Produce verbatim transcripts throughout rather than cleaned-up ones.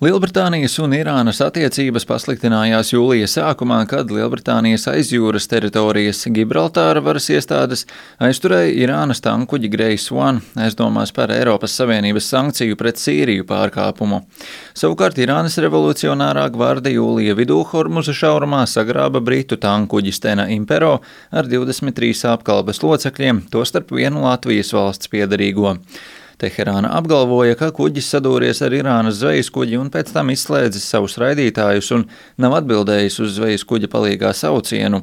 Lielbritānijas un Irānas attiecības pasliktinājās jūlija sākumā, kad Lielbritānijas aizjūras teritorijas Gibraltāra varas iestādes aizturēja Irānas tankuģi Grace One, aizdomās par Eiropas Savienības sankciju pret Sīriju pārkāpumu. Savukārt Irānas revolucionārā gvarde jūlija vidū Hormuza šaurumā sagrāba britu tankuģi Stena Impero ar divdesmit trīs apkalpes locekļiem, tostarp vienu Latvijas valsts piederīgo. Teherāna apgalvoja, ka kuģis sadūries ar Irānas zvejas kuģi un pēc tam izslēdzis savus raidītājus un nav atbildējis uz zvejas kuģa palīgā saucienu.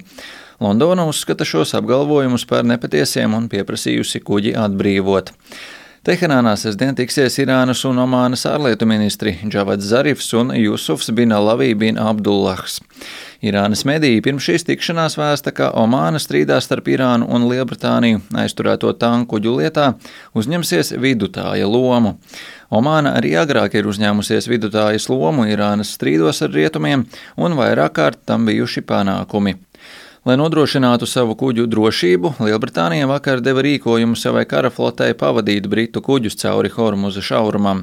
Londona uzskata šos apgalvojumus par nepatiesiem un pieprasījusi kuģi atbrīvot. Teherānā sestdien tiksies Irānas un Omānas ārlietu ministri Džavads Zarifs un Jusufs bin Alavī bin Abdullahs. Irānas mediji pirms šīs tikšanās vēsta, ka Omāna strīdā starp Irānu un Lielbritāniju aizturēto tankuģu lietā uzņemsies vidutāja lomu. Omāna arī agrāk ir uzņēmusies vidutājas lomu Irānas strīdos ar rietumiem un vairāk kārt tam bijuši panākumi. Lai nodrošinātu savu kuģu drošību, Lielbritānija vakar deva rīkojumu savai karaflotei pavadīt britu kuģus cauri Hormuza šaurumam.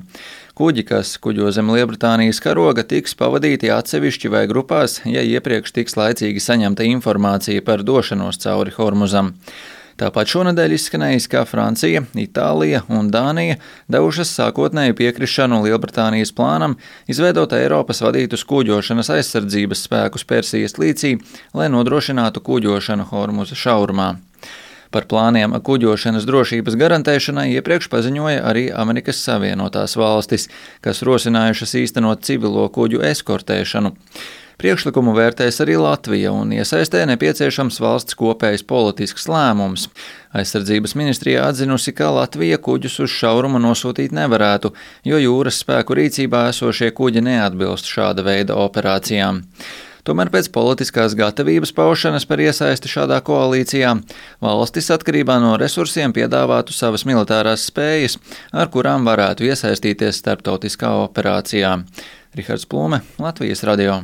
Kuģi, kas kuģo zem Lielbritānijas karoga, tiks pavadīti atsevišķi vai grupās, ja iepriekš tiks laicīgi saņemta informācija par došanos cauri Hormuzam. Tāpat šonedēļ izskanējis, ka Francija, Itālija un Dānija devušas sākotnēju piekrišanu Lielbritānijas plānam izveidot Eiropas vadītus kuģošanas aizsardzības spēkus Persijas līcī, lai nodrošinātu kuģošanu Hormuza šaurumā. Par plāniem kuģošanas drošības garantēšanai iepriekš paziņoja arī Amerikas Savienotās valstis, kas rosinājušas īstenot civilo kuģu eskortēšanu. Priekšlikumu vērtēs arī Latvija un iesaistē nepieciešams valsts kopējs politisks lēmums. Aizsardzības ministrijā atzinusi, ka Latvija kuģus uz šaurumu nosūtīt nevarētu, jo jūras spēku rīcībā esošie kuģi neatbilst šāda veida operācijām. Tomēr pēc politiskās gatavības paušanas par iesaisti šādā koalīcijā valstis atkarībā no resursiem piedāvātu savas militārās spējas, ar kurām varētu iesaistīties starptautiskā operācijā. Rihards Plume, Latvijas radio.